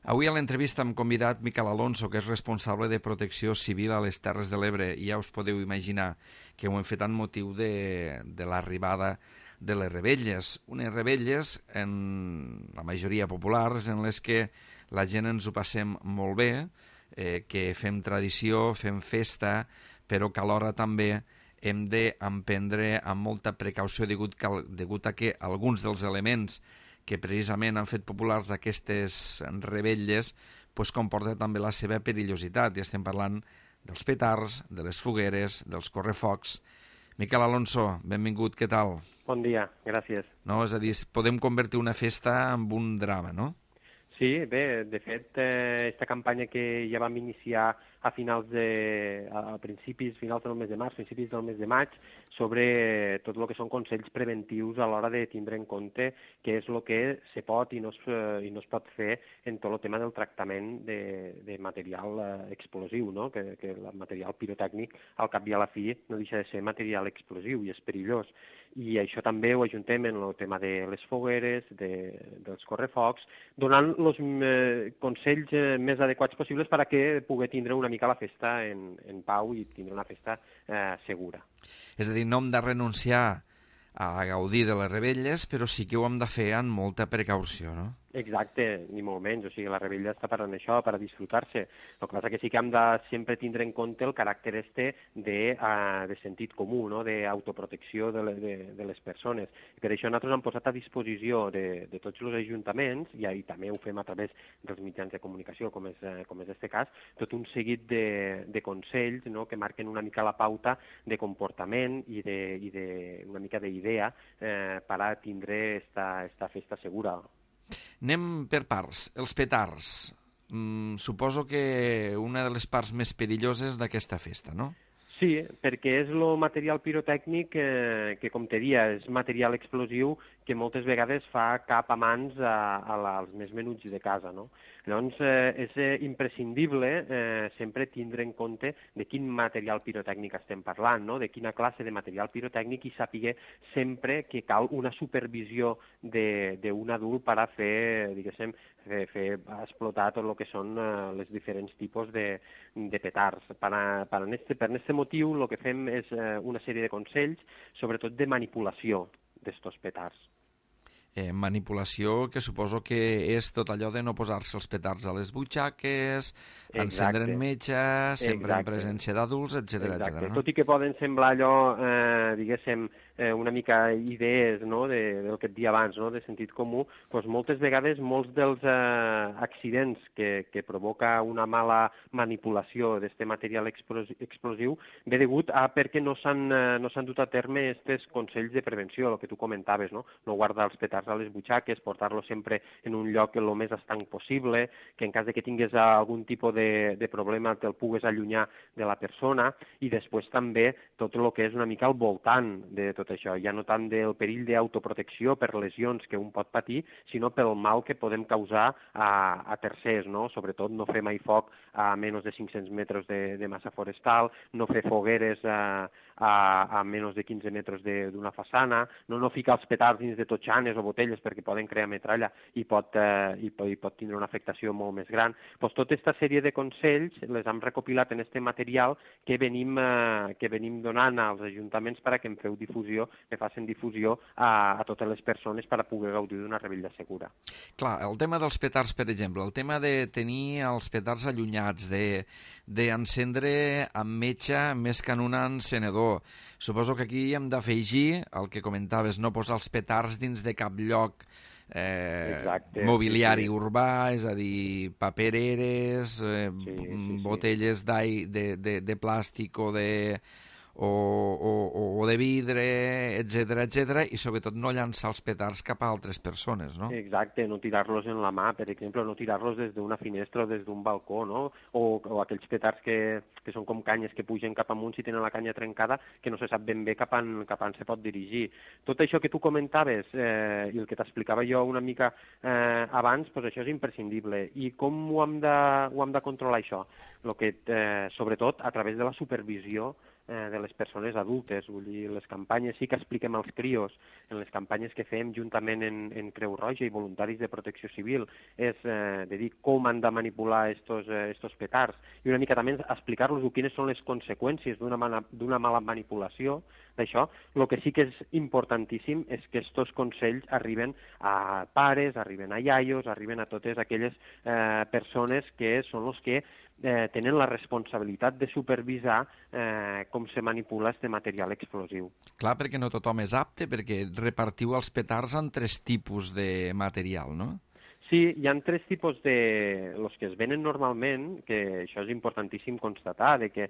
Avui a l'entrevista hem convidat Miquel Alonso, que és responsable de protecció civil a les Terres de l'Ebre, i ja us podeu imaginar que ho hem fet amb motiu de l'arribada de les rebelles. Unes rebelles, en la majoria populars, en les que la gent ens ho passem molt bé, que fem tradició, fem festa, però que alhora també hem d'emprendre amb molta precaució degut a que alguns dels elements que precisament han fet populars aquestes revetlles pues, comporta també la seva perillositat. I estem parlant dels petards, de les fogueres, dels correfocs. Miquel Alonso, benvingut, què tal? Bon dia, gràcies. No, és a dir, podem convertir una festa en un drama, no? Sí, bé, de fet, aquesta campanya que ja vam iniciar a finals del mes de març, principis del mes de maig, sobre tot el que són consells preventius a l'hora de tindre en compte què és el que se pot i no es pot fer en tot el tema del tractament de material explosiu, no? Que el material pirotècnic, al cap i a la fi, no deixa de ser material explosiu i és perillós. I això també ho ajuntem en el tema de les fogueres, dels correfocs, donant els consells més adequats possibles perquè pugui tindre una mica la festa en pau i tindre una festa segura. És a dir, no hem de renunciar a gaudir de les rebelles, però sí que ho hem de fer amb molta precaució, no? Exacte, ni molt menys. O sigui, la rebella està per això, per a disfrutar-se. El que passa que sí que hem de sempre tindre en compte el caràcter de sentit comú, no? D'autoprotecció de les persones. I per això nosaltres hem posat a disposició de tots els ajuntaments, i també ho fem a través dels mitjans de comunicació, com és este cas, tot un seguit de consells, no? Que marquen una mica la pauta de comportament i una mica d'idea per a tindre esta festa segura. Anem per parts. Els petards. Suposo que una de les parts més perilloses d'aquesta festa, no? Sí, perquè és el material pirotècnic que, com te dia, és material explosiu que moltes vegades fa cap a mans als més menuts de casa, no? Llavors, és imprescindible sempre tindre en compte de quin material pirotècnic estem parlant, no? De quina classe de material pirotècnic, i saber sempre que cal una supervisió d'un adult per a fer, diguéssim, fer explotar tot el que són els diferents tipus de petards. Per aquest motiu, el que fem és una sèrie de consells, sobretot de manipulació d'estos petards. Manipulació que suposo que és tot allò de no posar-se els petards a les butxaques, encendre en metge, sempre en presència d'adults, etc. No? Tot i que poden semblar allò, diguéssim, una mica idees, no? Del que et dia abans, no? De sentit comú, doncs moltes vegades molts dels accidents que provoca una mala manipulació d'aquest material explosiu ve degut a perquè no s'han dut a terme aquests consells de prevenció, el que tu comentaves, no? No guardar els petards a les butxaques, portar-lo sempre en un lloc el més estanc possible, que en cas de que tingués algun tipus de problema te'l pugues allunyar de la persona, i després també tot el que és una mica al voltant de tot això, ja no tant del perill d'autoprotecció per lesions que un pot patir, sinó pel mal que podem causar a tercers, no? Sobretot no fer mai foc a menys de 500 metres de massa forestal, no fer fogueres a menys de 15 metres d'una façana, no ficar els petards dins de totxanes o botelles perquè poden crear metralla i pot tindre una afectació molt més gran. Doncs tota aquesta sèrie de consells les hem recopilat en aquest material que venim donant als ajuntaments perquè en feu difusió, que facin difusió a totes les persones per a poder gaudir d'una rebella segura. Clar, el tema dels petards, per exemple, el tema de tenir els petards allunyats, d'encendre amb metge més que en un encenedor. Suposo que aquí hem d'afegir el que comentaves, no posar els petards dins de cap lloc mobiliari urbà, és a dir, papereres, botelles de plàstic o de vidre, etc., i sobretot no llançar els petards cap a altres persones, no? Exacte, no tirar-los en la mà, per exemple, no tirar-los des d'una finestra o des d'un balcó, no? O aquells petards que són com canyes que pugen cap amunt si tenen la canya trencada, que no se sap ben bé cap on se pot dirigir. Tot això que tu comentaves i el que t'explicava jo una mica abans, doncs això és imprescindible. I com ho hem de controlar, això? Sobretot a través de la supervisió de les persones adultes. Vull dir, les campanyes sí que expliquem als crios, en les campanyes que fem juntament en Creu Roja i voluntaris de protecció civil, és de dir com han de manipular estos petards i una mica també explicar-los quines són les conseqüències d'una mala manipulació d'això. El que sí que és importantíssim és que estos consells arriben a pares, arriben a iaios, arriben a totes aquelles persones que són els que tenen la responsabilitat de supervisar com se manipula este material explosiu. Clar, perquè no tothom és apte, perquè repartiu els petards en 3 tipus de material, no? Sí, hi ha 3 tipus de... els que es venen normalment, que això és importantíssim constatar, de que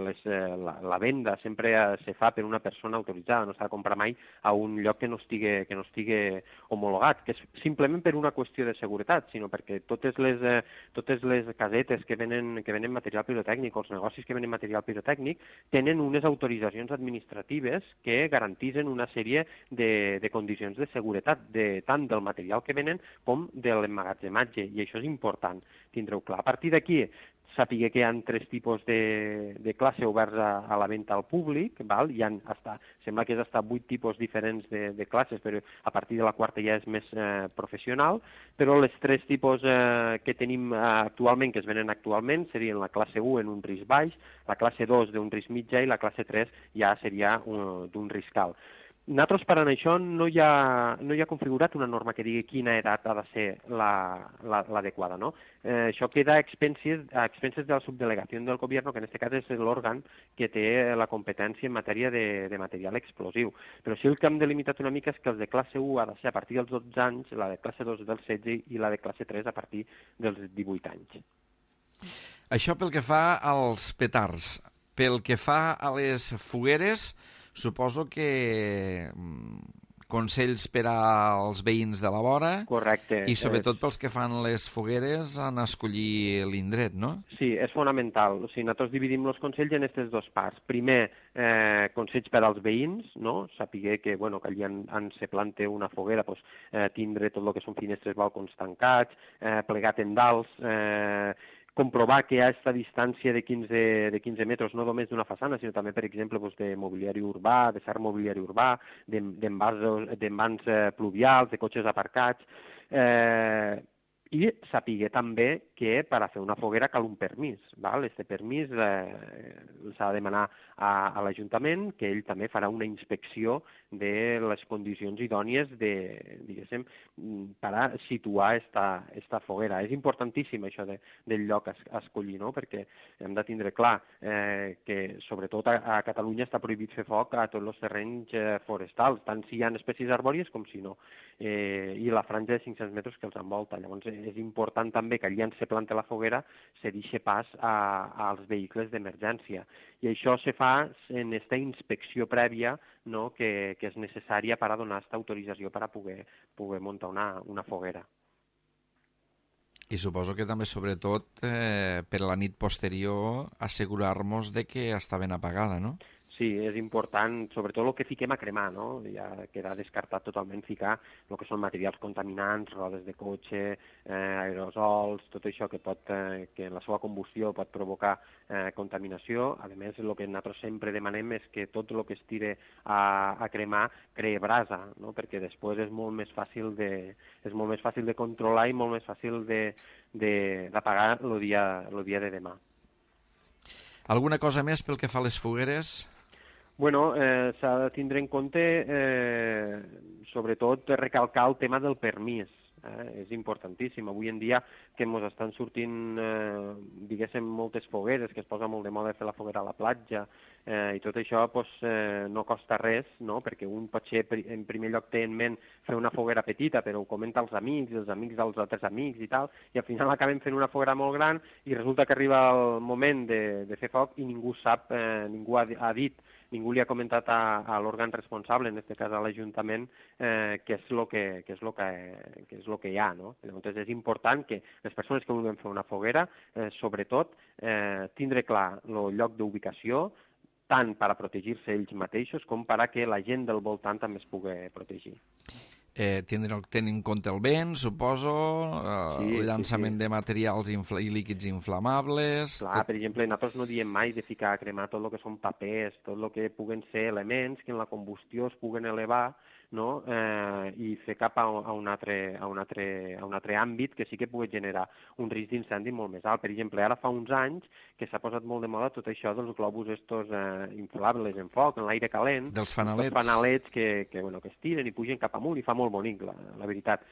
la venda sempre se fa per una persona autoritzada, no s'ha de comprar mai a un lloc que no estigui homologat, que és simplement per una qüestió de seguretat, sinó perquè totes les casetes que venen material pirotècnic, els negocis que venen material pirotècnic, tenen unes autoritzacions administratives que garantisen una sèrie de condicions de seguretat, tant del material que venen com de l'emmagatzematge, i això és important tindre-ho clar. A partir d'aquí, sàpiga que hi ha 3 tipus de classe oberts a la venda al públic, val? Sembla que és fins a 8 tipus diferents de classes, però a partir de la 4ª ja és més professional, però les 3 tipus que tenim actualment, que es venen actualment, serien la classe 1 en un risc baix, la classe 2 d'un risc mitjà i la classe 3 ja seria d'un risc alt. Nosaltres, per a això, no hi ha configurat una norma que digui quina edat ha de ser l'adequada, no? Això queda a expenses de la subdelegació del govern, que en aquest cas és l'òrgan que té la competència en matèria de material explosiu. Però sí el que hem delimitat una mica és que els de classe 1 ha de ser a partir dels 12 anys, la de classe 2 dels 16 i la de classe 3 a partir dels 18 anys. Això pel que fa als petards. Pel que fa a les fogueres, suposo que consells per als veïns de la vora. Correcte. I sobretot pels que fan les fogueres en escollir l'indret, no? Sí, és fonamental. O sigui, nosaltres dividim els consells en aquestes 2 parts. Primer, consells per als veïns, no? Sapiguer que, que allí se planta una foguera, tindre tot el que són finestres, balcons tancats, plegat en dalts, comprovar que hi ha aquesta distància de 15 metres, no només d'una façana, sinó també, per exemple, de mobiliari urbà, de cert mobiliari urbà, d'envans pluvials, de cotxes aparcats, i sàpiga també que per a fer una foguera cal un permís. Este permís s'ha de demanar a l'Ajuntament, que ell també farà una inspecció de les condicions idònies per a situar esta foguera. És importantíssim això del lloc a escollir, no? Perquè hem de tindre clar que sobretot a Catalunya està prohibit fer foc a tots els terrenys forestals, tant si hi ha espècies arbòries com si no, i la franja de 500 metres que els envolta. Llavors és important també que allà on se planta la foguera se deixi pas als vehicles d'emergència. I això se fa en aquesta inspecció prèvia, no, que és necessària per a donar aquesta autorització per a poder muntar una foguera. I suposo que també, sobretot, per la nit posterior, assegurar-nos de que està ben apagada, no? Sí, és important, sobretot el que fiquem a cremar, no? Ja queda descartat totalment ficar el que són materials contaminants, rodes de cotxe, aerosols, tot això que en la seva combustió pot provocar contaminació. A més, el que nosaltres sempre demanem és que tot el que es tire a cremar cree brasa, no? Perquè després és molt més fàcil de controlar i molt més fàcil d'apagar el dia de demà. Alguna cosa més pel que fa a les fogueres? S'ha de tindre en compte, sobretot, recalcar el tema del permís. És importantíssim. Avui en dia que ens estan sortint, moltes fogueres, que es posa molt de moda fer la foguera a la platja, i tot això no costa res, no? Perquè un potser en primer lloc té en ment fer una foguera petita, però ho comenta als amics, els amics dels altres amics i tal, i al final acabem fent una foguera molt gran i resulta que arriba el moment de fer foc i ningú sap, ningú ha dit, ningú li ha comentat a l'òrgan responsable, en aquest cas a l'Ajuntament, què és el que hi ha, no? Llavors és important que les persones que vulguin fer una foguera, sobretot, tindre clar el lloc d'ubicació, tant per a protegir-se ells mateixos com per a que la gent del voltant també es pugui protegir. tenir en compte el vent, suposo, el llançament de materials i líquids inflamables... Clar, per exemple, nosaltres no diem mai de ficar a cremar tot el que són papers, tot el que puguen ser elements que en la combustió es puguen elevar, no? I fer cap a un altre àmbit que sí que pugui generar un risc d'incendi molt més alt. Per exemple, ara fa uns anys que s'ha posat molt de moda tot això dels globus estos inflables en foc, en l'aire calent, dels fanalets, que es tiren i pugen cap amunt i fa molt bonic, la veritat.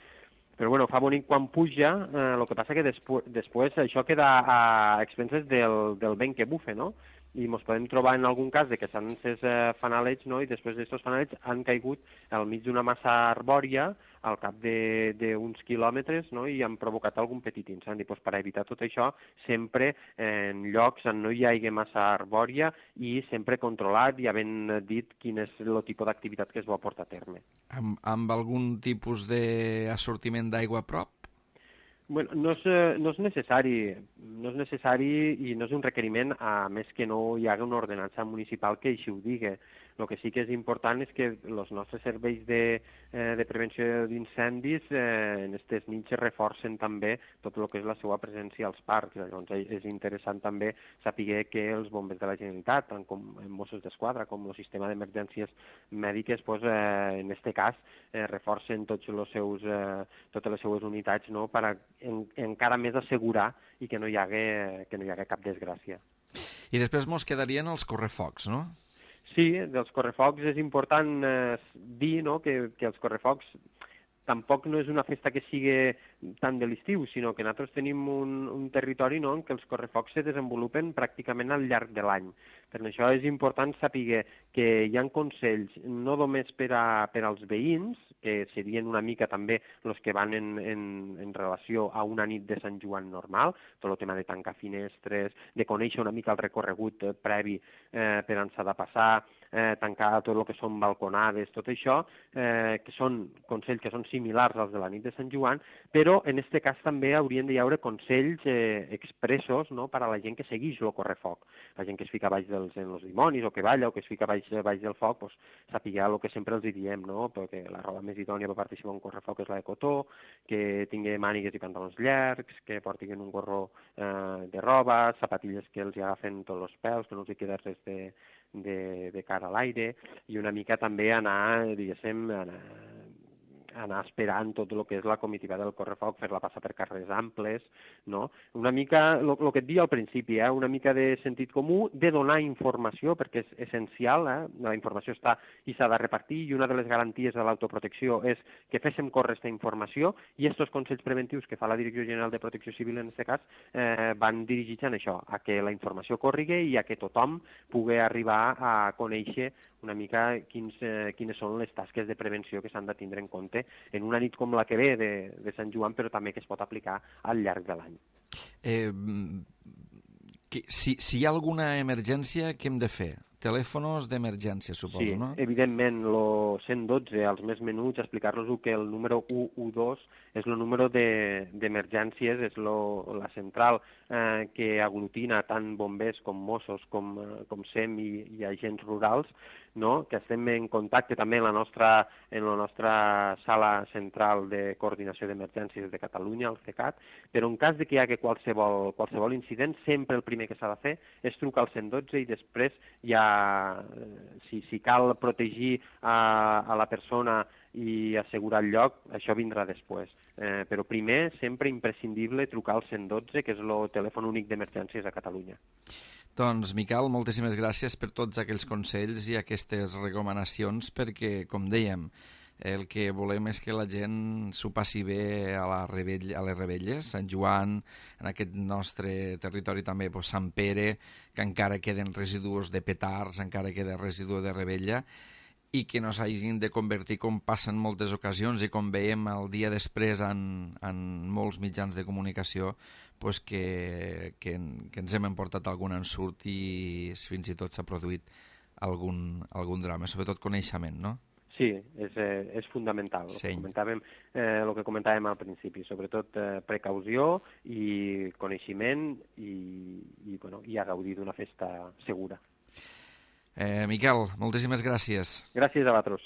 Però bueno, fa bonic quan puja, el que passa que després això queda a expenses del vent que bufe, no? I ens podem trobar en algun cas de que s'han encès fanalets, no? I després d'aquests fanalets han caigut al mig d'una massa arbòria al cap d'uns quilòmetres, no? I han provocat algun petit incendi. Pues per evitar tot això, sempre en llocs on no hi hagi massa arbòria i sempre controlat i havent dit quin és el tipus d'activitat que es vol portar a terme. Amb algun tipus d'assortiment d'aigua a prop? Bueno, no és necessari i no és un requeriment, a més que no hi hagi una ordenança municipal que així ho digui. El que sí que és important és que els nostres serveis de prevenció d'incendis en aquestes nits reforcen també tot el que és la seva presència als parcs. Llavors és interessant també saber que els bombers de la Generalitat, tant com Mossos d'Esquadra com el sistema d'emergències mèdiques, pues, en aquest cas reforcen totes les seues unitats, no?, per encara més assegurar i que no hi hagi cap desgràcia. I després mos quedarien els correfocs, no? Sí, dels correfocs és important dir, no?, que els correfocs tampoc no és una festa que sigui tant de l'estiu, sinó que nosaltres tenim un territori, no?, en què els correfocs se desenvolupen pràcticament al llarg de l'any. Per això és important saber que hi ha consells no només per als veïns, que serien una mica també els que van en relació a una nit de Sant Joan normal, tot el tema de tancar finestres, de conèixer una mica el recorregut previ per on s'ha de passar, tancar tot el que són balconades, tot això, que són consells que són similars als de la nit de Sant Joan, però en aquest cas també haurien de hi haure consells expressos, no?, per a la gent que segueix el correfoc. La gent que es fica baix en els dimonis o que balla o que es fica baix del foc, pues, sàpiga el que sempre els diem, no?, perquè la roba més idònia per participar en un correfoc és la de cotó, que tingui mànigues i pantalons llargs, que portin un gorro de roba, sapatilles que els agafen tots els pèls, que no els hi queda res de cara a l'aire, i una mica també anar, diguéssim, anar esperant tot el que és la comitiva del correfoc, fer-la passar per carrers amples, no? Una mica, el que et deia al principi, una mica de sentit comú, de donar informació, perquè és essencial, la informació està i s'ha de repartir, i una de les garanties de l'autoprotecció és que féssim córrer aquesta informació, i aquests consells preventius que fa la Direcció General de Protecció Civil, en aquest cas, van dirigits a això, a que la informació córriga i a que tothom pugui arribar a conèixer una mica quines són les tasques de prevenció que s'han de tindre en compte en una nit com la que ve de Sant Joan, però també que es pot aplicar al llarg de l'any. Si hi ha alguna emergència, què hem de fer? Telèfons d'emergència, suposo, sí, no? Sí, evidentment, el 112, als més menuts, explicar-los que el número 112 és el número d'emergències, és la central que aglutina tant bombers com Mossos, com SEM i agents rurals, no?, que estem en contacte també en la nostra sala central de coordinació d'emergències de Catalunya, el CECAT, però en cas de que hi hagi qualsevol incident, sempre el primer que s'ha de fer és trucar al 112 i després ja, si cal protegir a la persona i assegurar el lloc, això vindrà després. Però primer, sempre imprescindible trucar al 112, que és el telèfon únic d'emergències a Catalunya. Doncs, Miquel, moltíssimes gràcies per tots aquells consells i aquestes recomanacions, perquè, com dèiem, el que volem és que la gent s'ho passi bé a les Rebelles, Sant Joan, en aquest nostre territori també Sant Pere, que encara queden residus de petards, encara queda residu de Rebella, i que no s'hagin de convertir, com passa en moltes ocasions i com veiem el dia després en molts mitjans de comunicació, pues que ens hem emportat algun ensurt i fins i tot s'ha produït algun drama, sobretot coneixement, no? Sí, és fundamental. Sí. El que comentàvem al principi, sobretot precaució i coneixement i a gaudir d'una festa segura. Miquel, moltíssimes gràcies. Gràcies a vosaltres.